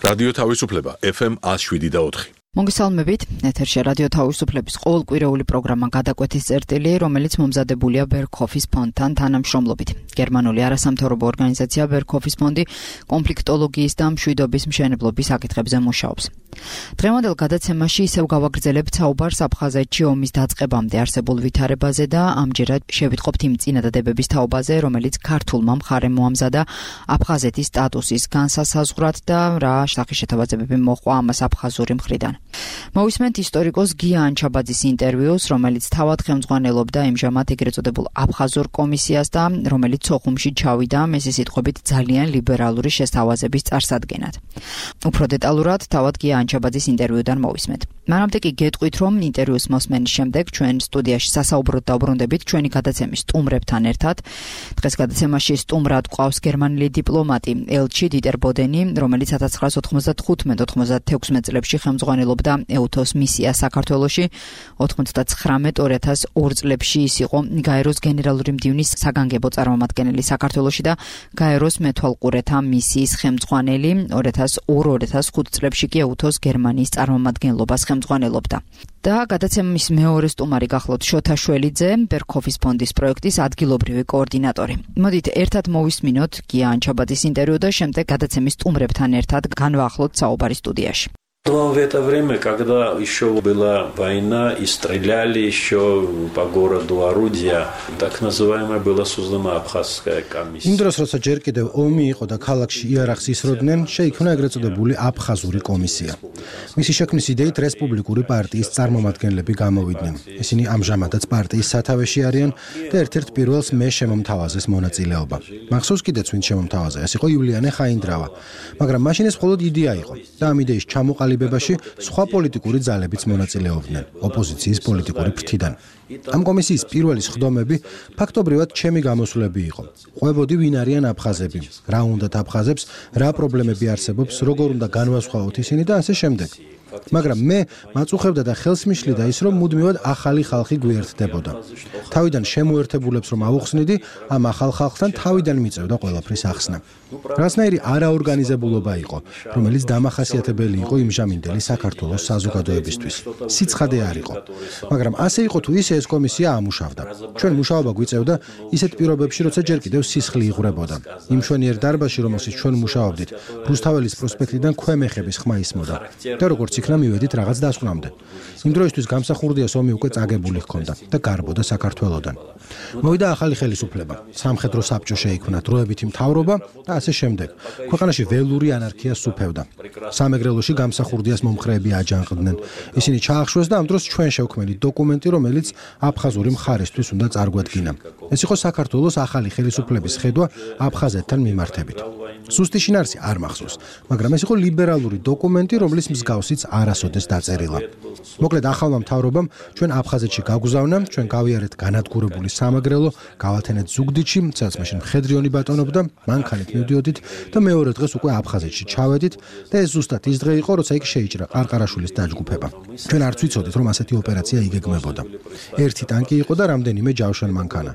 რადიო თავისუფლება FM 107.4. მოგესალმებით, ეთერში რადიო თავისუფლების ყოველკვირეული პროგრამა გადაკვეთის წერტილი, რომელიც მომზადებულია ბერგჰოფის ფონდთან თანამშრომლობით. გერმანული არასამთავრობო ორგანიზაცია ბერგჰოფის ფონდი კონფლიქტოლოგიის და მშვიდობის მშენებლობის საკითხებზე მუშაობს. დღევანდელ გადაცემაში ისევ გავაგრძელებთ საუბარს აფხაზეთში ომის დაწყებამდე არსებულ ვითარებაზე და ამჯერად შევიტყობთ იმ წინადადებების თაობაზე, რომელიც ქართულმა მხარემ მოამზადა აფხაზეთის სტატუსის განსასაზღვრად და რა სახეშეთავაზებები მოყვა ამას აფხაზური მხრიდან. მოვისმენთ ისტორიკოს გია ანჩაბაძის ინტერვიუს, რომელიც თავად ხელმძღვანელობდა ამჟამად ეგრეთ წოდებულ აფხაზურ კომისიას და რომელიც სოხუმში ჩავიდა მესის სიტყვებით ძალიან ლიბერალური შესთავაზების წარსადგენად. უფრო დეტალურად თავად გია ანჩაბაძის ინტერვიუდან მოვისმენთ. მანამდე კი გეტყვით, რომ ინტერვიუს მოსმენის შემდეგ ჩვენ სტუდიაში სასაუბროდ დავბრუნდებით ჩვენი გადაცემის სტუმრებთან ერთად. დღეს გადაცემაში სტუმრად გვყავს გერმანელი დიპლომატი ელჩი დიტერ ბოდენი, რომელიც 1995-96 წლებში ხელმძღვანელობდა ეუთოს მისიას საქართველოში. 99-2002 წლებში ის იყო გაეროს გენერალური მდივნის საგანგებო წარმომადგენელი საქართველოში და გაეროს მეთვალყურეთა მისიის ხელმძღვანელი. 2002-2005 წლებში კი ეუთოს გერმანიის წარმომადგენლობას ხელმძღვანელობდა. და გადაცემის მეორე სტუმარი გახლავთ შოთა შველიძე, ბერგჰოფის ფონდის პროექტის ადგილობრივი კოორდინატორი. მოდით ერთად მოვისმინოთ გია ანჩაბაძის ინტერვიუ და შემდეგ გადაცემის სტუმრებთან ერთად განვაახლოთ საუბარი студიაში. В это время, когда еще была война и стреляли еще по городу орудия, так называемая была создана Абхазская комиссия. იმ დროს, როცა ჯერ კიდევ ომი იყო და ქალაქში იარაღს ისროდნენ, შეიქმნა ეგრეთ წოდებული აფხაზური კომისია. მისი შექმნის იდეით რესპუბლიკური პარტიის წარმომადგენლები გამოვიდნენ. ისინი ამჟამადაც პარტიის სათავეში არიან და ერთ-ერთ პირველს მე შემომთავაზეს მონაწილეობა. მახსოვს კიდეც ვინ შემომთავაზა, ეს იყო იულიანე ხაინდრავა. მაგრამ მაშინ ეს მხოლოდ იდეა იყო და ამ იდეის ჩამოყალიბებაში სხვა პოლიტიკური ძალებიც მონაწილეობდნენ ოპოზიციის პოლიტიკური ფრთიდან. ამ კომისიის პირველი სხდომები ფაქტობრივად ჩემი გამოსვლები იყო. ყვებოდი ვინ არიან აფხაზები, რა უნდათ აფხაზებს, რა პრობლემები არსებობს, როგორ უნდა განვასხვაოთ ისინი და ასე შემდეგ. მაგრამ მე მაწუხებდა და ხელს მიშლიდა ის, რომ მუდმივად ახალი ხალხი გვერდდებოდა. თავიდან შემოერთებულებს რომ ავუხსნიდი, ამ ახალ ხალხთან თავიდან მიწევდა ყველაფრის ახსნა. რასნაირი არაორგანიზებულობა იყო, რომელიც დამახასიათებელი იყო იმჟამინდელი საქართველოს საზოგადოებისთვის. სიცხადე არ იყო. მაგრამ ასე იყო თუ ისე ეს კომისია ამუშავდა. ჩვენ მუშაობა გვიწევდა ისეთ პირობებში, როცა ჯერ კიდევ სისხლი იღვრებოდა. იმ მშვენიერ დარბაზში, რომელშიც ჩვენ მუშაობდით, რუსთაველის პროსპექტიდან ქვემეხების ხმა ისმოდა. და როგორც იქნა მივედით რაღაც დასკვნამდე. იმ დროისთვის გამსახურდიას ომი უკვე წაგებული ჰქონდა და გარბოდა საქართველოდან. მოვიდა ახალი ხელისუფლება. სამხედრო საბჭო შეიქმნა, დროებითი მთავრობა და ასე შემდეგ. ქვეყანაში ველური ანარქია სუფევდა. სამეგრელოში გამსახურდიას მომხრეები აჯანყდნენ. ისინი ჩაახშვეს და ამ დროს ჩვენ შევქმნით დოკუმენტი, რომელიც აფხაზური მხარისთვის უნდა წარგვადგინა. ეს იყო საქართველოს ახალი ხელისუფლების ხედვა აფხაზეთთან მიმართებით. სუსტი შინაარსი არ მახსოვს, მაგრამ ეს იყო ლიბერალური დოკუმენტი, რომლის მსგავსიც არასოდეს დაწერილა. მოკლედ ახალმა მთავრობამ ჩვენ აფხაზეთში გაგვზავნა, ჩვენ გავიარეთ განადგურებული სამაგრელო, გავათენეთ ზუგდიდში, სადაც მაშინ მხედრიონი ბატონობდა, მანქანით მივდიოდით და მეორე დღეს უკვე აფხაზეთში ჩავედით და ეს ზუსტად ის დღე იყო, როცა იქ შეიჭრა ყარყარაშვილის დაჯგუფება. ჩვენ არც ვიცოდით, რომ ასეთი ოპერაცია იგეგმებოდა. ერთი ტანკი იყო და რამდენიმე ჯავშან მანქანა.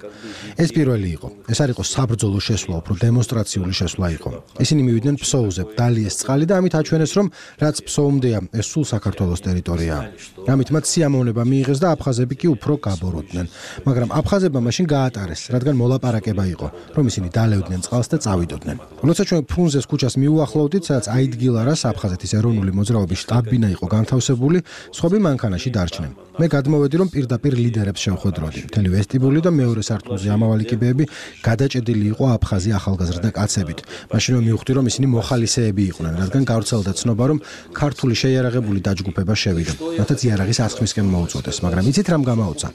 ეს პირველი იყო. ეს არ იყო საბრძოლო შესვლა, უფრო დემონსტრაციული შესვლა იყო. ისინი მივიდნენ ფსოუზე, დალიეს წყალი და ამით აჩვენეს, რომ რაც ფსოუმდეა, ეს სულ საქართველოს ტერიტორიაა. ამით მათ სიამოვნება მიიღეს და აფხაზები კი უფრო გაბოროდნენ. მაგრამ აფხაზებმა მაშინ გაატარეს, რადგან მოლაპარაკება იყო, რომ ისინი დალევდნენ წყალს და წავიდოდნენ. როცა ჩვენ ფრუნზეს ქუჩას მიუახლოვდით, სადაც აიდგილარას აფხაზეთის ეროვნული მოძრაობის შტაბ-ბინა იყო განთავსებული, სხვები მანქანაში დარჩნენ. მე გადმოვედი, რომ პირდაპირ ლიდერებს შევხვედროდი. მთელი ვესტიბული და მეორე სართულზე ამავალი კიბეები გადაჭედილი იყო აფხაზი ახალგაზრდა კაცებით. მაშინ მივხვდი, რომ ისინი მოხალისეები იყვნენ, რადგან გავრცელდა ცნობა, რომ ქართული შეიარაღებული დაჯგუფება შევიდა. მათაც იარაღის ასხმისკენ მოუწოდეს, მაგრამ იცით რამ გამაუცა?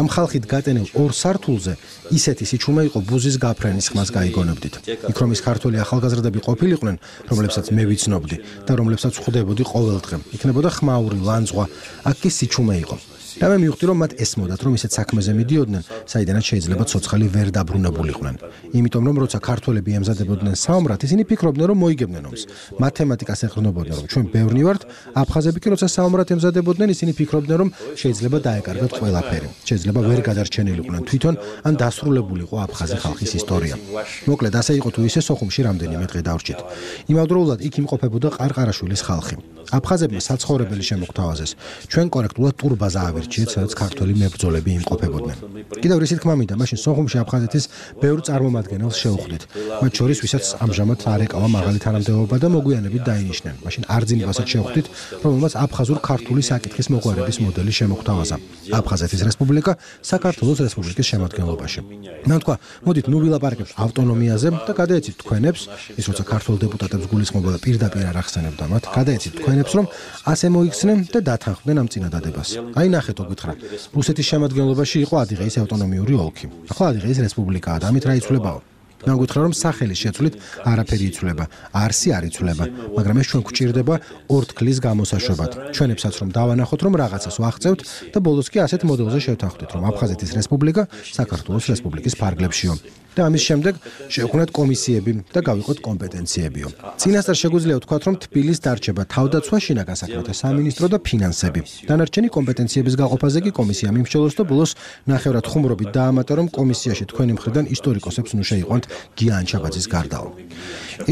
ამ ხალხით გატენილ ორ სართულზე ისეთი სიჩუმე იყო ბუზის გაფრენის ხმას გაიგონებდით. იქ რომ ის ქართული ახალგაზრდები ყოფილიყვნენ, რომლებსაც მე ვიცნობდი და რომლებსაც ხვდებოდი ყოველ დღე. იქნებოდა ხმაური, ლანძღვა, აქ კი სიჩუმე იყო. და მე მივხვდი, რომ მათ ესმოდათ, რომ ისეთ საქმეზე მიდიოდნენ, საიდანაც შეიძლება ცოცხალი ვერ დაბრუნებულიყვნენ. იმიტომ რომ როცა ქართველები ემზადებოდნენ საომრად, ისინი ფიქრობდნენ, რომ მოიგებდნენ ომს. მათემატიკას ეყრდნობოდნენ, რომ ჩვენ ბევრნი ვართ, აფხაზები კი როცა საომრად ემზადებოდნენ, ისინი ფიქრობდნენ, რომ შეიძლება დაეკარგათ ყველაფერი. შეიძლება ვერ გადარჩენილიყვნენ თვითონ, ან დასრულებულიყო აფხაზი ხალხის ისტორია. მოკლედ, ასე იყო თუ ისე სოხუმში რამდენიმე დღე დავრჩით. იმავდროულად იქ იმყოფებოდა ყარყარაშვილის ხალხი. აფხაზებმა საცხოვრებელი შემოგთავაზეს. ჩვენ კორექტულად ტურბაზა ავირჩიეთ, სადაც ქართველი მებრძოლები იმყოფებოდნენ. კიდევ რისი თქმა მინდა, მაშინ სოხუმში აფხაზეთის ბევრ წარმომადგენელს შევხვდით. მათ შორის ვისაც ამჟამად არ ეკავა მაღალი თანამდებობა და მოგვიანებით დაინიშნენ. მაშინ არძინბასაც შევხვდით, რომელმაც აფხაზურ-ქართული საკითხის მოყვარების მოდელი შემოგთავაზა. აფხაზეთის რესპუბლიკა საქართველოს რესპუბლიკის შემადგენლობაში. მან თქვა, მოდით ნუ ვილაპარაკებთ ავტონომიაზე და გადაეცით თქვენებს, ის როცა ქართულ დეპუტატებს გულისხმობდა პირდაპირ არ ახსენებდა მათ, გადაეცით თქვენებს, რომ ასე მოიქცნენ და დათანხმდნენ ამ წინადადებას. აი ნახეთო გითხრა. რუსეთის შემადგენლობაში იყო ადიღეის ავტონომიური ოლქი. ახლა ადიღეის რესპუბლიკაა და ამით რა იცვლებაო? მან გითხრა, რომ სახელის შეცვლით არაფერი იცვლება, არსი არ იცვლება, მაგრამ ეს ჩვენ გვჭირდება ორთქლის გამოსაშვებად. ჩვენებსაც რომ დავანახოთ, რომ რაღაცას ვაღწევთ და ბოლოს კი ასეთ მოდელზე შევთანხმდით, რომ აფხაზეთის რესპუბლიკა საქართველოს რესპუბლიკის ფარგლებშიო. და ამის შემდეგ შევქმნათ კომისიები და გავიყოთ კომპეტენციებიო. წინასწარ შეგვიძლია ვთქვათ, რომ თბილის დარჩება თავდაცვა, შინაგან საქმეთა სამინისტრო და ფინანსები. დანარჩენი კომპეტენციების გაყოფაზე კი კომისიამ იმსჯელოს და ბოლოს ნახევრად ხუმრობით დაამატა, რომ კომისიაში თქვენი მხრიდან ისტორიკოსებს ნუ შეიყვანთ გია ანჩაბაძის გარდაო.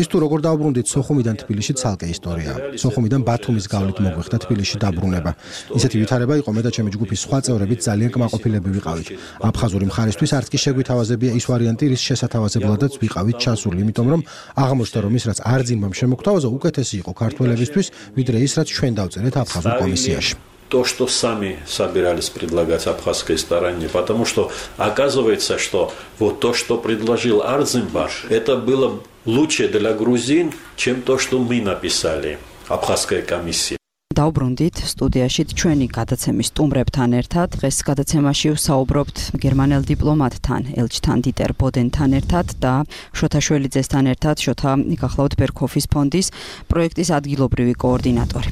ის თუ როგორ დაუბრუნდით სოხუმიდან თბილისში ცალკე ისტორიაა. სოხუმიდან ბათუმის გავლით მოგვიხდა თბილისში დაბრუნება. ისეთი ვითარება იყო, მე და ჩემი ჯგუფის სხვა წევრებიც ძალიან კმაყოფილები ვიყავით. აფხაზური მხარისთვის არც კი შეგვითავაზებია ის ვარიანტი, რის შესათავაზებლადაც ვიყავით ჩასული, იმიტომ რომ აღმოჩნდა, რომ ის რაც არძინბამ შემოგთავაზა, უკეთესი იყო ქართველებისთვის, ვიდრე ის რაც ჩვენ დავწერეთ აფხაზურ комиссияში. То, что сами собирались предлагать абхазской стороне, потому что оказывается, что вот то, что предложил Арзинбаш, это было лучше для грузин, чем то, что мы написали, абхазская комиссия. დავბრუნდით სტუდიაში ჩვენი გადაცემის სტუმრებთან ერთად. დღეს გადაცემაში ვსაუბრობთ გერმანელ დიპლომატთან, ელჩთან დიტერ ბოდენთან ერთად და შოთა შველიძესთან ერთად, შოთა გახლავთ ბერქოფის ფონდის პროექტის ადგილობრივი კოორდინატორი.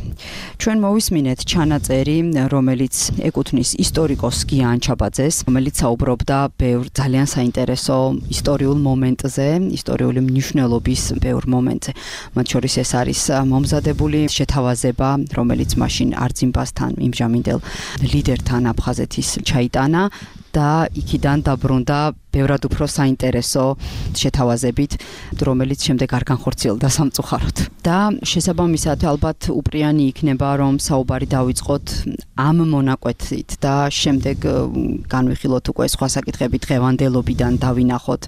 ჩვენ მოვისმინეთ ჩანაწერი, რომელიც ეკუთვნის ისტორიკოს გია ანჩაბაძეს, რომელიც საუბრობდა ბევრ ძალიან საინტერესო ისტორიულ მომენტზე, ისტორიული მნიშვნელობის ბევრ მომენტზე. მათ შორის ეს არის მომზადებული შეთავაზება, რომელიც მაშინ არძინბასთან იმჟამინდელ ლიდერთან აფხაზეთის ჩაიტანა და იქიდან დაბრუნდა ბევრად უფრო საინტერესო შეთავაზებით, რომელიც შემდეგ არ განხორციელდა სამწუხაროდ. და შესაბამისად ალბათ უპრიანი იქნება, რომ საუბარი დავიწყოთ ამ მონაკვეთით და შემდეგ განვიხილოთ უკვე სხვა საკითხები დღევანდელობიდან დავინახოთ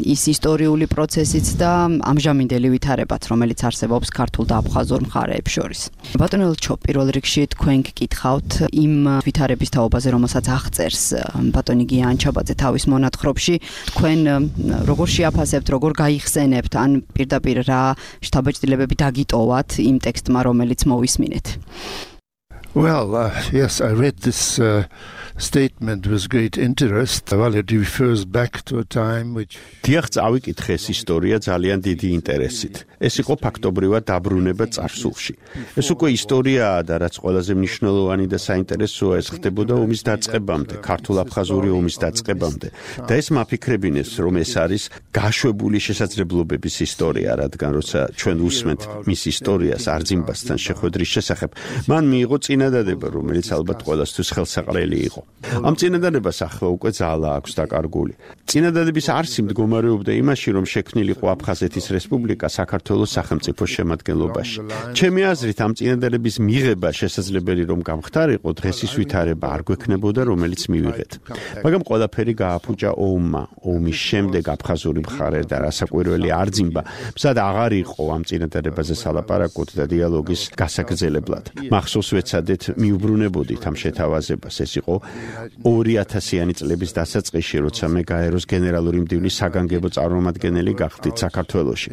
ის ისტორიული პროცესიც და ამჟამინდელი ვითარებაც, რომელიც არსებობს ქართულ და აფხაზურ მხარეებს შორის. ბატონო ელჩო, პირველ რიგში თქვენ გკითხავთ იმ ვითარების თაობაზე, რომელსაც აღწერს ბატონი გია ანჩაბაძე თავის მონათხრობში. თქვენ როგორ შეაფასებთ, როგორ გაიხსენებთ, ან პირდაპირ რა შთაბეჭდილებები დაგიტოვათ იმ ტექსტმა, რომელიც მოვისმინეთ? Well, yes, I read this statement with great interest. Well, it refers back to a time which დიახ, წავიკითხე ეს ისტორია ძალიან დიდი ინტერესით. ეს იყო ფაქტობრივად დაბრუნება წარსულში. ეს უკვე ისტორიაა და რაც ყველაზე მნიშვნელოვანი და საინტერესოა, ეს ხდებოდა ომის დაწყებამდე, ქართულ-აფხაზური ომის დაწყებამდე. და ეს მაფიქრებინეს, რომ ეს არის გაშვებული შესაძლებლობების ისტორია, რადგან როცა ჩვენ უსმენთ მის ისტორიას არძინბასთან შეხვედრის შესახებ, მან მიიღო წინადადება, რომელიც ალბათ ყველასთვის ხელსაყრელი იყო. ამ წინადადებას ახლა უკვე ძალა აქვს დაკარგული. წინადადების არსი მდგომარეობდა იმაში, რომ შექმნილიყო აფხაზეთის რესპუბლიკა საქართველოს სახელმწიფოს შემადგენლობაში. ჩემი აზრით, ამ წინადადების მიღება შესაძლებელი რომ გამხდარიყო, დღეს ის ვითარება არ გვექნებოდა, რომელიც მივიღეთ. მაგრამ ყველაფერი გააფუჭა ომმა. ომის შემდეგ აფხაზური მხარე და რასაკვირველი არძინბა მზად აღარ იყო ამ წინადადებაზე სალაპარაკოთ და დიალოგის გასაგრძელებლად. მახსოვს ვეცადეთ მიუბრუნებოდით ამ შეთავაზებას. ეს იყო 2000-იანი წლების დასაწყისში, როცა მე გაეროს გენერალური მდივნის საგანგებო წარმომადგენელი გახდით საქართველოში.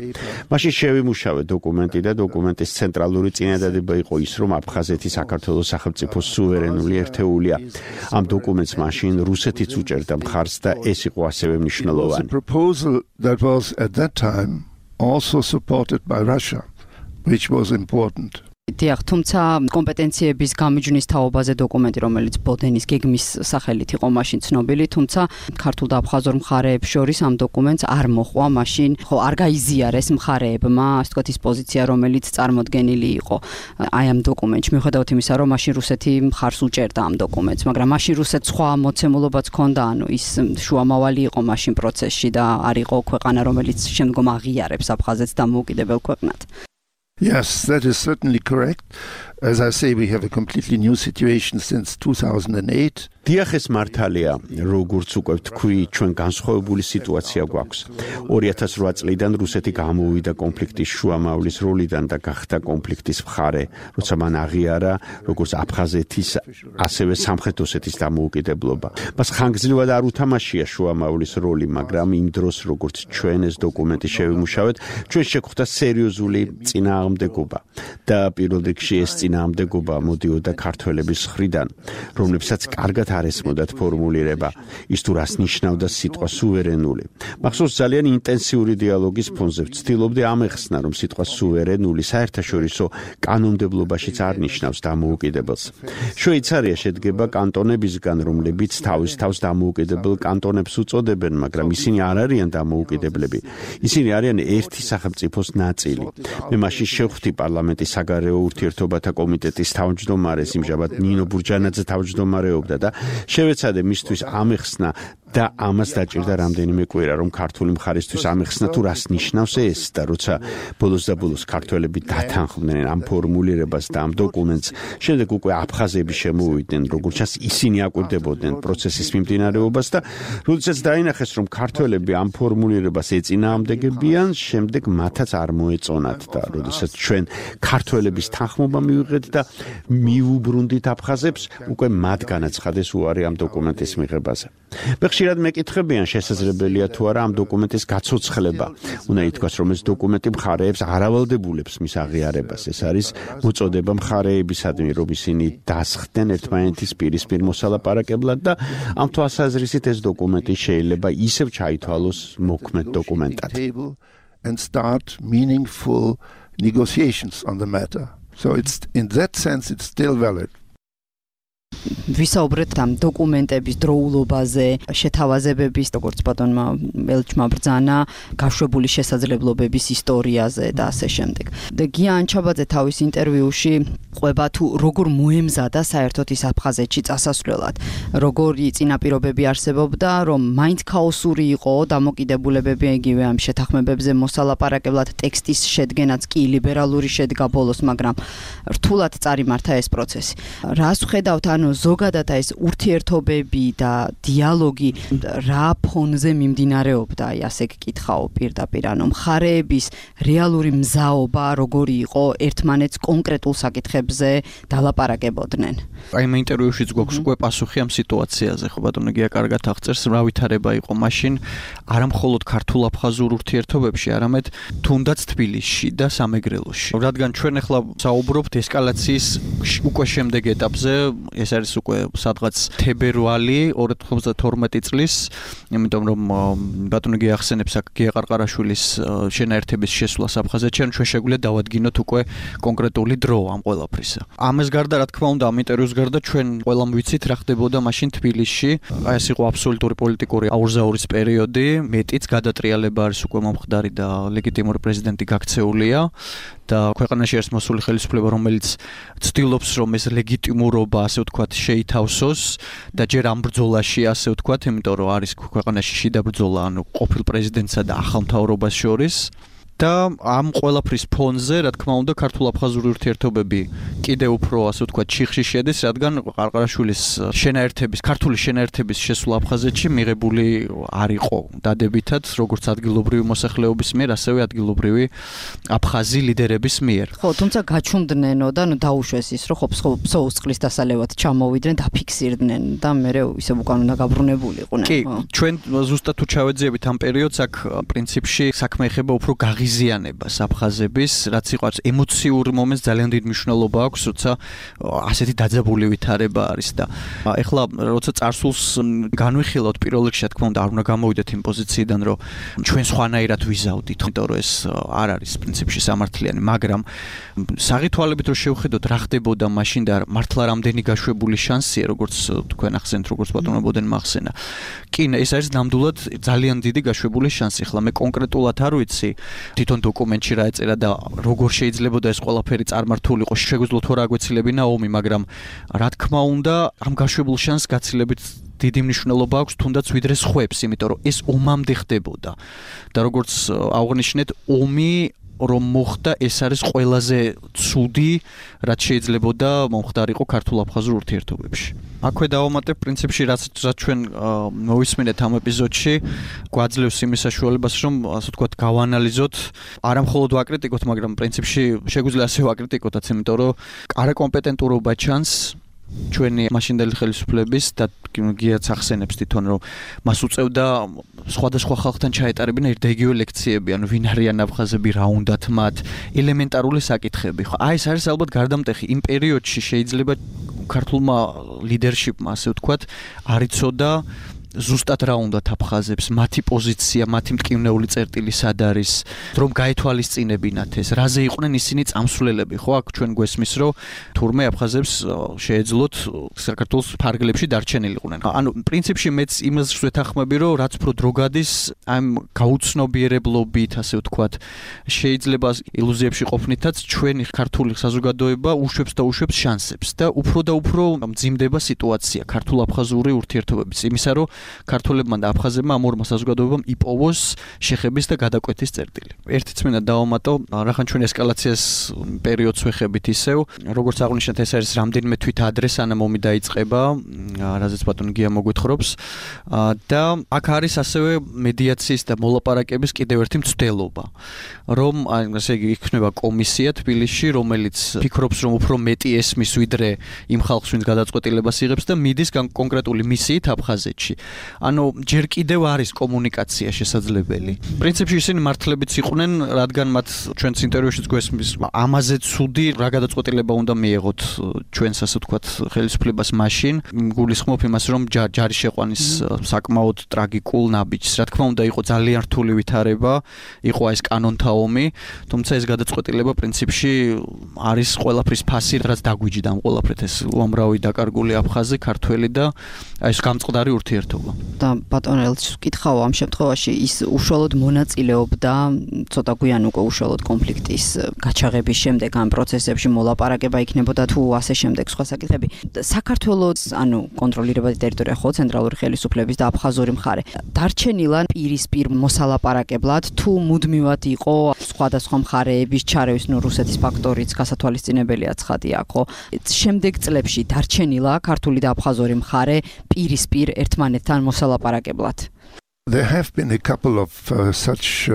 მაშინ შევიმუშავე დოკუმენტი და დოკუმენტის ცენტრალური წინადადება იყო ის, რომ აფხაზეთი საქართველოს სახელმწიფოს სუვერენული ერთეულია. ამ დოკუმენტს მაშინ რუსეთიც უჭერდა მხარს და ეს იყო ასევე მნიშვნელოვანი. a proposal that was at that time also supported by Russia, which was important. დიახ, თუმცა კომპეტენციების გამიჯვნის თაობაზე დოკუმენტი, რომელიც ბოდენის გეგმის სახელით იყო მაშინ ცნობილი, თუმცა ქართულ და აფხაზურ მხარეებს შორის ამ დოკუმენტს არ მოჰყვა მაშინ, არ გაიზიარეს მხარეებმა, ასე ვთქვათ, ის პოზიცია, რომელიც წარმოდგენილი იყო აი ამ დოკუმენტში, მიუხედავად იმისა, რომ მაშინ რუსეთი მხარს უჭერდა ამ დოკუმენტს, მაგრამ მაშინ რუსეთს სხვა მოცემულობაც ჰქონდა, ანუ ის შუამავალი იყო მაშინ პროცესში და არ იყო ქვეყანა, რომელიც შემდგომ აღიარებს აფხაზეთს დამოუკიდებელ ქვეყნად. Yes, that is certainly correct. As I say, we have a completely new situation since 2008. დიახ, ეს მართალია, როგორც უკვე თქვი, ჩვენ განსხვავებული სიტუაცია გვაქვს. 2008 წლიდან რუსეთი გამოვიდა კონფლიქტის შუამავლის როლიდან და გახდა კონფლიქტის მხარე, როცა მან აღიარა როგორც აფხაზეთის, ასევე სამხრეთ ოსეთის დამოუკიდებლობა. მას ხანგრძლივად არ უთამაშია შუამავლის როლი, მაგრამ იმ დროს, როგორც ჩვენ ეს დოკუმენტი შევიმუშავეთ, ჩვენ შეგვხვდა სერიოზული წინააღმდეგობა და პირველ რიგში ეს წინააღმდეგობა მოდიოდა ქართველების მხრიდან, რომლებსაც კარგად არ ესმოდათ ფორმულირება, ის თუ რას ნიშნავდა სიტყვა სუვერენული. მახსოვს ძალიან ინტენსიური დიალოგის ფონზე ვცდილობდი ამეხსნა, რომ სიტყვა სუვერენული საერთაშორისო კანონმდებლობაშიც არ ნიშნავს დამოუკიდებელს. შვეიცარია შედგება კანტონებისგან, რომლებიც თავის თავს დამოუკიდებელ კანტონებს უწოდებენ, მაგრამ ისინი არ არიან დამოუკიდებლები. ისინი არიან ერთი სახელმწიფოს ნაწილი. მე მაშინ შევხვდი პარლამენტის საგარეო ურთიერთობათა კომიტეტის თავმჯდომარეს, იმჟამად ნინო ბურჯანაძე თავმჯდომარეობდა და შევეცადე მისთვის ამეხსნა და ამას დაჭირდა რამდენიმე კვირა, რომ ქართული მხარისთვის ამეხსნა თუ რას ნიშნავს ეს და როცა ბოლოს და ბოლოს ქართველები დათანხმდნენ ამ ფორმულირებას და ამ დოკუმენტს, შემდეგ უკვე აფხაზები შემოვიდნენ, როგორც ჩანს ისინი აკვირდებოდნენ პროცესის მიმდინარეობას და როდესაც დაინახეს, რომ ქართველები ამ ფორმულირებას ეწინააღმდეგებიან, შემდეგ მათაც არ მოეწონათ და როდესაც ჩვენ ქართველების თანხმობა მივიღეთ და მიუბრუნდით აფხაზებს, უკვე მათ განაცხადეს უარი ამ დოკუმენტის მიღებაზე. ხშირად მეკითხებიან შესაძლებელია თუ არა ამ დოკუმენტის გაცოცხლება. უნდა ითქვას, რომ ეს დოკუმენტი მხარეებს არ ავალდებულებს მის აღიარებას. ეს არის მოწოდება მხარეებისადმი, რომ ისინი დასხდნენ ერთმანეთის პირისპირ მოსალაპარაკებლად და ამ თვალსაზრისით ეს დოკუმენტი შეიძლება ისევ ჩაითვალოს მოქმედ დოკუმენტად. And start meaningful negotiations on the matter. So it's in that sense it's still valid. ვისაუბრეთ ამ დოკუმენტების დროულობაზე, შეთავაზებების, როგორც ბატონმა ელჩმა ბრძანა, გაშვებული შესაძლებლობების ისტორიაზე და ასე შემდეგ. და გია ანჩაბაძე თავის ინტერვიუში ყვება თუ როგორ მოემზადა საერთოდ ის აფხაზეთში წასასვლელად, როგორი წინაპირობები არსებობდა, რომ მაინც ქაოსური იყო დამოკიდებულებები იგივე ამ შეთანხმებებზე მოსალაპარაკებლად, ტექსტის შედგენაც კი ლიბერალური შედგა ბოლოს, მაგრამ რთულად წარიმართა ეს პროცესი. რას ვხედავთ, ანუ ზოგადად ეს ურთიერთობები და დიალოგი რა ფონზე მიმდინარეობდა, აი ასე გკითხაო პირდაპირ, ანუ მხარეების რეალური მზაობა როგორი იყო ერთმანეთს კონკრეტულ საკითხებზე დალაპარაკებოდნენ. აი მე ინტერვიუშიც გვაქვს უკვე პასუხი ამ სიტუაციაზე, ხო ბატონო გია კარგად აღწერს, რა ვითარება იყო მაშინ, არა მხოლოდ ქართულ-აფხაზურ ურთიერთობებში, არამედ თუნდაც თბილისში და სამეგრელოში. რადგან ჩვენ ახლა საუბრობთ ესკალაციის უკვე შემდეგ ეტაპზე, ეს არის უკვე სადღაც თებერვალი 2012 წლის, იმიტომ რომ ბატონო გია ახსენებს აქ გია ყარყარაშვილის შენაერთების შესვლას აფხაზეთში, ჩვენ შეგვიძლია დავადგინოთ უკვე კონკრეტული დრო ამ ყველაფრისა. ამას გარდა, რა თქმა უნდა, ამ ინტერვიუს გარდა ჩვენ ყველამ ვიცით რა ხდებოდა მაშინ თბილისში. აი ეს იყო აბსოლუტური პოლიტიკური აურზაურის პერიოდი, მეტიც გადატრიალება არის უკვე მომხდარი და ლეგიტიმური პრეზიდენტი გაქცეულია. და ქვეყანაში არის მოსული ხელისუფლება, რომელიც ცდილობს, რომ ეს ლეგიტიმურობა, ასე ვთქვათ, შეითავსოს და ჯერ ამ ბრძოლაში, ასე ვთქვათ, იმიტომ რომ არის ქვეყანაში შიდა ბრძოლა, ანუ ყოფილ პრეზიდენტსა და ახალ მთავრობას შორის. და ამ ყველაფრის ფონზე, რა თქმა უნდა, ქართულ-აფხაზური ურთიერთობები კიდევ უფრო, ასე ვთქვათ, ჩიხში შედის, რადგან ყარყარაშვილის შენაერთების, ქართული შენაერთების შესვლა აფხაზეთში მიღებული არ იყო დადებითად, როგორც ადგილობრივი მოსახლეობის მიერ, ასევე ადგილობრივი აფხაზი ლიდერების მიერ. ხო, თუმცა გაჩუმდნენო და ნუ დაუშვეს ის, რომ ფსოუს წყლის დასალევად ჩამოვიდნენ, დაფიქსირდნენ და მერე ისევ უკან უნდა გაბრუნებულიყვნენ. კი, ჩვენ ზუსტად თუ ჩავეძიებით ამ პერიოდს, აქ პრინციპში საქმე ეხება უფრო გაღიზიანებას მიზიანებას აფხაზების, რაც იყო ემოციურ მომენტს ძალიან დიდი მნიშვნელობა აქვს, როცა ასეთი დაძაბული ვითარება არის და ეხლა როცა წარსულს განვიხილავთ პირველ რიგში, რა თქმა უნდა, არ უნდა გამოვიდეთ იმ პოზიციიდან, რომ ჩვენ სხვანაირად ვიზავდით, იმიტომ რომ ეს არ არის პრინციპში სამართლიანი, მაგრამ საღითვალებით რომ შევხედოთ რა ხდებოდა მაშინ და მართლა რამდენი გაშვებული შანსია, როგორც თქვენ ახსენეთ, როგორც ბატონო ბოდენმა ახსენა. კი, ეს არის ნამდვილად ძალიან დიდი გაშვებული შანსი. ახლა მე კონკრეტულად არ ვიცი თვითონ დოკუმენტში რა ეწერა და როგორ შეიძლება ეს ყველაფერი წარმართულიყო, შეგვიძლია თუ რა აგვეცილებინა ომი, მაგრამ რა თქმა უნდა, ამ გაშვებულ შანსს გაცილებით დიდი მნიშვნელობა აქვს თუნდაც ვიდრე სხვებს, იმიტომ რომ ეს ომამდე ხდებოდა. და როგორც აღნიშნეთ, ომი რომ მოხდა, ეს არის ყველაზე ცუდი, რაც შეიძლებოდა მომხდარიყო ქართულ-აფხაზურ ურთიერთობებში. აქვე დავამატებ პრინციპში, რაც ჩვენ მოვისმინეთ ამ ეპიზოდში, გვაძლევს იმის საშუალებას, რომ ასე ვთქვათ, გავანალიზოთ, არა მხოლოდ ვაკრიტიკოთ, მაგრამ პრინციპში შეგვიძლია ასე ვაკრიტიკოთაც, იმიტომ რომ არაკომპეტენტურობა ჩანს ჩვენი მაშინდელი ხელისუფლების და გიაც ახსენებს თვითონ რომ მას უწევდა სხვადასხვა ხალხთან ჩაეტარებინა ერთდაიგივე ლექციები, ანუ ვინ არიან აფხაზები, რა უნდათ მათ, ელემენტარული საკითხები. ხო, ეს არის ალბათ გარდამტეხი. იმ პერიოდში შეიძლება ქართულმა ლიდერშიპმა, ასე ვთქვათ, არ იცოდა ზუსტად რა უნდათ აფხაზებს, მათი პოზიცია, მათი მტკივნეული წერტილი სად არის, რომ გაეთვალისწინებინათ ეს, რაზე იყვნენ ისინი წამსვლელები, ხო, აქ ჩვენ გვესმის, რომ თურმე აფხაზებს შეეძლოთ საქართველოს ფარგლებში დარჩენილიყვნენ. ანუ პრინციპში მეც იმას ვეთანხმები, რომ რაც უფრო დრო გადის, ამ გაუცნობიერებლობით, ასე ვთქვათ, შეიძლება ილუზიებში ყოფნითაც ჩვენი ქართული საზოგადოება უშვებს და უშვებს შანსებს და უფრო მძიმდება სიტუაცია ქართულ-აფხაზური ურთიერთობების, იმისა რომ ქართველებმა და აფხაზებმა ამ ორმა საზოგადოებამ იპოვოს შეხების და გადაკვეთის წერტილი. ერთიც მინდა დავამატო, რახან ჩვენ ესკალაციას პერიოდს ვეხებით ისევ, როგორც აღნიშნეთ, ეს არის რამდენიმე თვით ადრე სანამ ომი დაიწყება, რაზეც ბატონი გია მოგვითხრობს და აქ არის ასევე მედიაციის და მოლაპარაკების კიდევ ერთი მცდელობა, რომ ასე იგი იქნება კომისია თბილისში, რომელიც ფიქრობს, რომ უფრო მეტი ესმის ვიდრე იმ ხალხს, ვინც გადაწყვეტილებას იღებს და მიდის კონკრეტული მისიით აფხაზეთში. ანუ ჯერ კიდევ არის კომუნიკაცია შესაძლებელი. პრინციპში ისინი მართლებიც იყვნენ, რადგან მათ ჩვენს ინტერვიუშიც გვესმის, ამაზე ცუდი რა გადაწყვეტილება უნდა მიეღოთ ჩვენს ასე ვთქვათ ხელისუფლებას მაშინ. გულისხმობ იმას, რომ ჯარის შეყვანის საკმაოდ ტრაგიკულ ნაბიჯს. რა თქმა უნდა, იყო ძალიან რთული ვითარება, იყო ეს კანონთა ომი, თუმცა ეს გადაწყვეტილება პრინციპში არის ყველაფრის ფასი, რაც დაგვიჯდა ამ ყველაფრით, ეს უამრავი დაკარგული აფხაზი, ქართველი და ეს გამწყდარი ურთიერთობა. და ბატონ ელჩს ვკითხავ, ამ შემთხვევაში ის უშუალოდ მონაწილეობდა ცოტა გვიან უკვე უშუალოდ კონფლიქტის გაჩაღების შემდეგ ამ პროცესებში მოლაპარაკება იქნებოდა თუ ასე შემდეგ სხვა საკითხები. საქართველოს, ანუ კონტროლირებადი ტერიტორია ხო, ცენტრალური ხელისუფლების და აფხაზური მხარე დარჩენილა პირისპირ მოსალაპარაკებლად თუ მუდმივად იყო სხვადასხვა მხარეების ჩარევის, ნუ რუსეთის ფაქტორიც გასათვალისწინებელია ცხადია, ხო? შემდეგ წლებში დარჩენილა ქართული და აფხაზური მხარე პირისპირ ერთმანეთთან მოსალაპარაკებლად. There have been a couple of such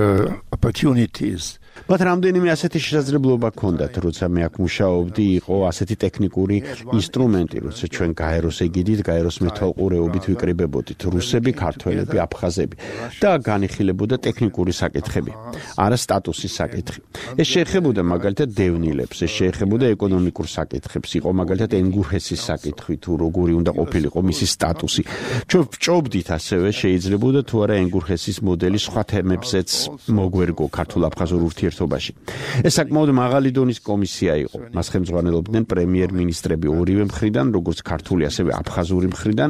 opportunities. But რამდენიმე ასეთი შესაძლებლობა ჰქონდათ, როცა მე აქ მუშაობდი, იყო ასეთი ტექნიკური ინსტრუმენტი, როცა ჩვენ გაეროს ეგიდით, გაეროს მეთვალყურეობით ვიკრიბებოდით რუსები, ქართველები, აფხაზები და განიხილებოდა ტექნიკური საკითხები, არა სტატუსის საკითხი. ეს შეეხებოდა მაგალითად დევნილებს, ეს შეეხებოდა ეკონომიკურ საკითხებს, იყო მაგალითად ენგურჰესის საკითხი, თუ როგორი უნდა ყოფილიყო მისი სტატუსი. ჩვენ ვჭობდით ასევე შეიძლებოდა თუ არა ენგურჰესის მოდელი სხვა თემებზეც მოგვერგო ქართულ-აფხაზურ ურთიერთობაში. ეს საკმაოდ მაღალი დონის კომისია იყო. მას ხელმძღვანელობდნენ პრემიერ-მინისტრები ორივე მხრიდან, როგორც ქართული, ასევე აფხაზური მხრიდან.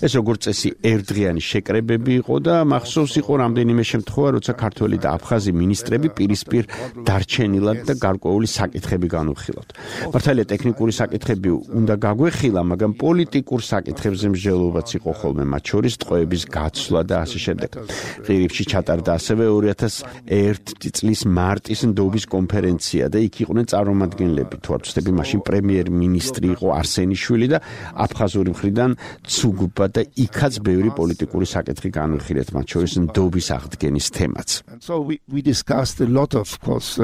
ეს როგორც წესი ერთდღიანი შეკრებები იყო და მახსოვს იყო რამდენიმე შემთხვევა, როცა ქართველი და აფხაზი მინისტრები პირისპირ დარჩენილად და გარკვეული საკითხები განვიხილავთ. მართალია ტექნიკური საკითხები უნდა გაგვეხილა, მაგრამ პოლიტიკურ საკითხებზე მსჯელობაც იყო ხოლმე, მათ შორის ტყვეების გაცვლა და ასე შემდეგ. ღირიბში ჩატარდა ასევე 2001 წლის მარტის ნდობის კონფერენცია და იქ იყვნენ წარმომადგენლები, თუ არ ვცდები, მაშინ პრემიერ-მინისტრი იყო არსენიშვილი და აფხაზური მხრიდან ცუგუბა და იქაც ბევრი პოლიტიკური საკითხი განვიხილეთ, მათ შორის ნდობის აღდგენის თემაც. So we discussed a lot of course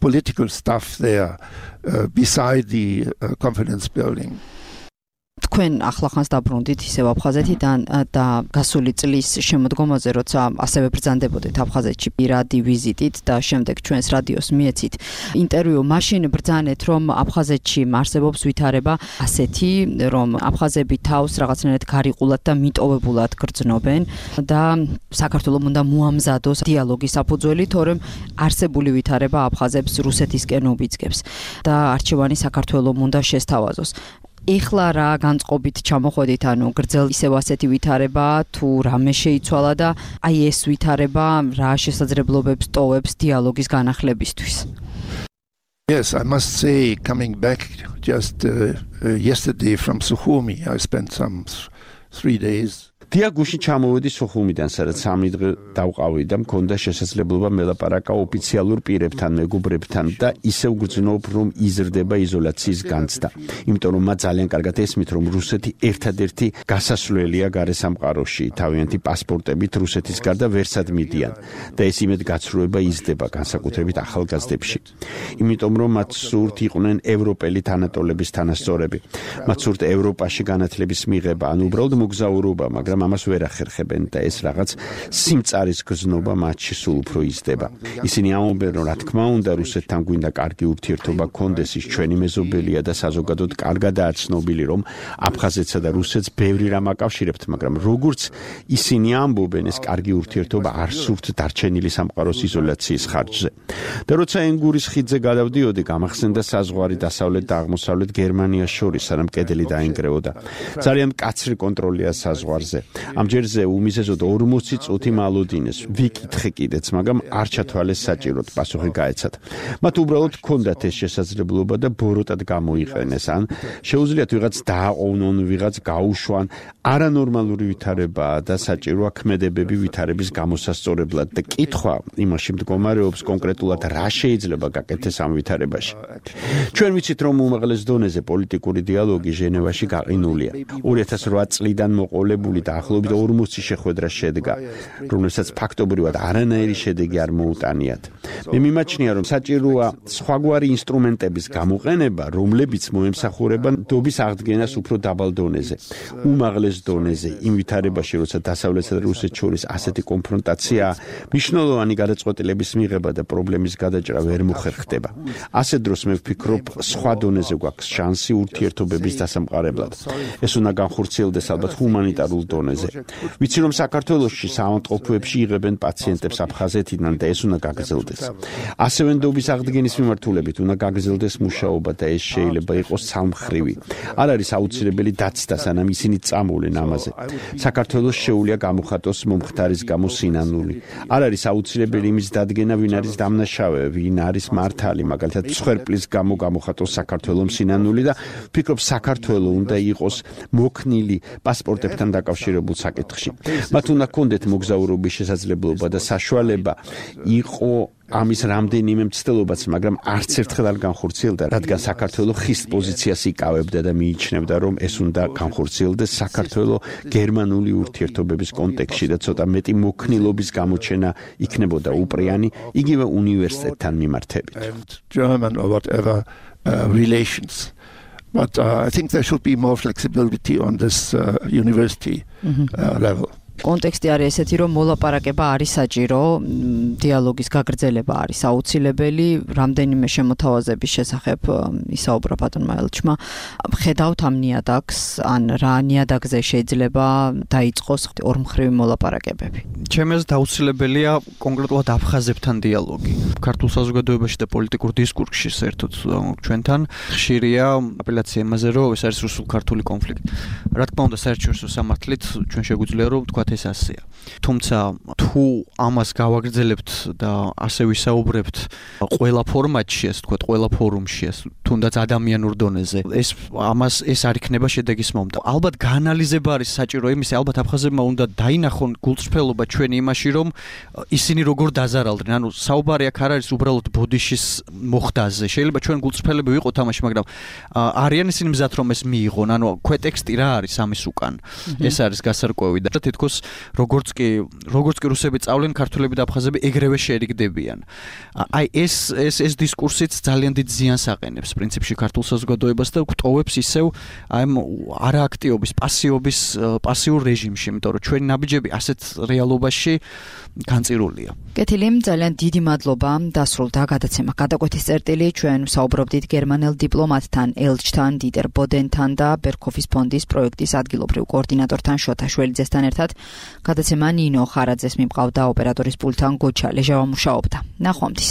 political stuff there beside the conference building. თქვენ ახლახანს დაბრუნდით ისევ აფხაზეთიდან და გასული წლის შემოდგომაზე, როცა ასევე ბრძანდებოდით აფხაზეთში პირადი ვიზიტით და შემდეგ ჩვენს რადიოს მიეცით ინტერვიუ, მაშინ ბრძანეთ, რომ აფხაზეთში არსებობს ვითარება ასეთი, რომ აფხაზები თავს რაღაცნაირად გარიყულად და მიტოვებულად გრძნობენ და საქართველოს უნდა მოამზადოს დიალოგის საფუძველი, თორემ არსებული ვითარება აფხაზებს რუსეთისკენ უბიძგებს და არჩევანი საქართველოს უნდა შესთავაზოს. ეხლა რა განწყობით ჩამოხვედით, ანუ გრძელ ისევ ასეთი ვითარება თუ რამე შეიცვალა და აი ეს ვითარება რა შესაძლებლობებს ტოვებს დიალოგის განახლებისთვის? Yes, I must say, coming back just yesterday from Sukhumi, I spent some 3 days. დიაგუში ჩამოვედი სუხუმიდან, სადაც 3 დღე დავყავი და მქონდა შესაძლებლობა მელაპარაკა ოფიციალურ პირებთან, მეგობრებთან და ისევ გრძნობ, რომ იზრდება იზოლაციის განცდა. იმიტომ რომ მათ ძალიან კარგად ესმით, რომ რუსეთი ერთადერთი გასასვლელია გარესამყაროში, თავიანთი პასპორტებით რუსეთის გარდა ვერსად მიდიან და ეს იმედ გაცრუება იზრდება განსაკუთრებით ახალგაზრდებში. იმიტომ რომ მათ სურთ იყვნენ ევროპელი თანატოლების თანასწორები. მათ სურთ ევროპაში განათლების მიღება, ან უბრალოდ მოგზაურობა, მაგრამ ამას ვერ ახერხებენ და ეს რაღაც სიმწარის გზნობა მათში სულ უფრო იზრდება. ისინი ამბობენ, რომ რა თქმა უნდა რუსეთთან გვინდა კარგი ურთიერთობა გქონდეს, ის ჩვენი მეზობელია და საზოგადოდ კარგადაა ცნობილი, რომ აფხაზეთსა და რუსეთს ბევრი რამ აკავშირებთ, მაგრამ როგორც ისინი ამბობენ, ეს კარგი ურთიერთობა არ სურთ დარჩენილი სამყაროს იზოლაციის ხარჯზე. და როცა ენგურის ხიდზე გადავდიოდი, გამახსენდა საზღვარი დასავლეთ და აღმოსავლეთ გერმანიას შორის, სანამ კედელი დაინგრეოდა. ძალიან მკაცრი კონტროლია საზღვარზე. ამ ჯერზე უმიზეზოდ 40 წუთი მალოდინეს. ვიკითხე კიდეც, მაგრამ არ ჩათვალეს საჭიროდ პასუხი გაეცათ. მათ უბრალოდ ჰქონდათ ეს შესაძლებლობა და ბოროტად გამოიყენეს, ან შეუძლიათ ვიღაც დააყოვნონ, ვიღაც გაუშვან. არანორმალური ვითარებაა და საჭიროა ქმედებები ვითარების გამოსასწორებლად და კითხვა იმაში მდგომარეობს კონკრეტულად რა შეიძლება გაკეთდეს ამ ვითარებაში. ჩვენ ვიცით, რომ უმაღლეს დონეზე პოლიტიკური დიალოგი ჟენევაში გაყინულია. 2008 წლიდან მოყოლებული და ახლობით 40 შეხვედრა შედგა, რომელსაც ფაქტობრივად არანაირი შედეგი არ მოუტანიათ. მე მიმაჩნია, რომ საჭიროა სხვაგვარი ინსტრუმენტების გამოყენება, რომლებიც მოემსახურება ნდობის აღდგენას უფრო დაბალ დონეზე. უმაღლეს დონეზე, იმ ვითარებაში, როცა დასავლეთსა და რუსეთს შორის ასეთი კონფრონტაციაა, მნიშვნელოვანი გადაწყვეტილების მიღება და პრობლემის გადაჭრა ვერ მოხერხდება. ასე დროს მე ვფიქრობ, სხვა დონეზე გვაქვს შანსი ურთიერთობების დასამყარებლად. ეს უნდა განხორციელდეს ალბათ ჰუმანიტარულ დონეზე. ვიცი, რომ საქართველოში საავადმყოფოებში იღებენ პაციენტებს აფხაზეთიდან და ეს უნდა გაგრძელდეს. ასევე ნდობის აღდგენის მიმართულებით უნდა გაგრძელდეს მუშაობა და ეს შეიძლება იყოს სამმხრივი. არ არის აუცილებელი დაცდა, სანამ ისინი წამოვლენ ამაზე. საქართველოს შეუძლია გამოხატოს მომხდარის გამო სინანული. არ არის აუცილებელი იმის დადგენა, ვინ არის დამნაშავე, ვინ არის მართალი, მაგალითად მსხვერპლის გამო გამოხატოს საქართველოს სინანული და ვფიქრობ, საქართველოს უნდა იყოს მოქნილი პასპორტებთან დაკავშირებულ საკითხში. მათ უნდა ჰქონდეთ მოგზაურობის შესაძლებლობა და საშუალება იყო ამის რამდენიმე მცდელობაც, მაგრამ არც ერთხელ არ განხორციელდა, რადგან საქართველოს ხის პოზიციას იკავებდა და მიიჩნევდა, რომ ეს უნდა განხორციელდეს საქართველოს გერმანული ურთიერთობების კონტექსტში და ცოტა მეტი მოქნილობის გამოჩენა იქნებოდა უპრიანი, იგივე უნივერსიტეტთან მიმართებით. German or whatever relations. But I think there should be more flexibility on this university level. კონტექსტი არის ესეთი, რომ მოლაპარაკება არის საჭირო, დიალოგის გაგრძელება არის აუცილებელი, რამდენიმე შემოთავაზების შესახებ ისაუბრა ბატონმა ელჩმა. ხედავთ ამ ნიადაგს, ან რა ნიადაგზე შეიძლება დაიწყოს ორმხრივი მოლაპარაკებები? ჩემი აზრით აუცილებელია კონკრეტულად აფხაზებთან დიალოგი. ქართულ საზოგადოებაში და პოლიტიკურ დისკურსში საერთოდ ჩვენთან ხშირია აპელაცია იმაზე, რომ ეს არის რუსულ-ქართული კონფლიქტი. რა თქმა უნდა, საერთაშორისო სამართლით ჩვენ შეგვიძლია რომ ვთქვათ ეს ასეა. თუმცა თუ ამას გავაგრძელებთ და ასე ვისაუბრებთ ყველა ფორმატში, ასე ვთქვათ, ყველა ფორუმში, თუნდაც ადამიანურ დონეზე, ეს არ იქნება შედეგის მომდა. ალბათ გაანალიზება არის საჭირო იმისი, ალბათ აფხაზებმა უნდა დაინახონ გულწრფელობა ჩვენი იმაში, რომ ისინი როგორ დაზარალდნენ. ანუ საუბარი აქ არ არის უბრალოდ ბოდიშის მოხდაზე. შეიძლება ჩვენ გულწრფელები ვიყოთ ამაში, მაგრამ არიან ისინი მზად რომ ეს მიიღონ. ანუ ქვეტექსტი რა არის ამის უკან. ეს არის გასარკვევი და თითქოს როგორც კი რუსები წავლენ, ქართველები და აფხაზები ეგრევე შეერიგდებიან. აი ეს დისკურსიც ძალიან დიდ ზიანს აყენებს პრინციპში ქართულ საზოგადოებას და გვტოვებს ისევ აი არააქტიობის, პასიურ რეჟიმში, იმიტომ რომ ჩვენი ნაბიჯები ასეთ რეალობაში განწირულია. კეთილი, ძალიან დიდი მადლობა. დასრულდა გადაცემა გადაკვეთის წერტილი. ჩვენ ვსაუბრობდით გერმანელ დიპლომატთან, ელჩთან დიტერ ბოდენთან და ბერქოფის ფონდის პროექტის ადგილობრივ კოორდინატორთან შოთა შველიძესთან ერთად. გადაცემა ნინო ხარაძეს მიმყავდა, ოპერატორის პულტთან გოჩა ლეჟავა მუშაობდა. ნახვამდის.